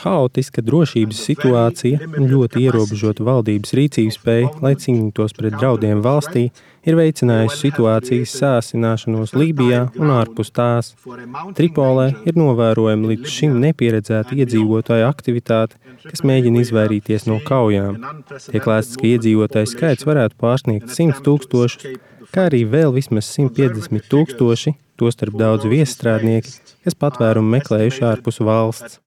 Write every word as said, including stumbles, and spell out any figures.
Haotiska drošības situācija un ļoti ierobežota valdības rīcības spēja, lai cīnītos pret draudiem valstī, ir veicinājusi situācijas sāsināšanos Lībijā un ārpus tās. Tripolē ir novērojama līdz šim nepieredzēta iedzīvotāju aktivitāte, kas mēģina izvairīties no kaujām. Tiek lēsts, ka iedzīvotāju skaits varētu pārsniegt simt tūkstošus, kā arī vēl vismaz simt piecdesmit tūkstoši, tostarp daudzi viesstrādnieki, kas patvērumu meklējuši ārpus valsts.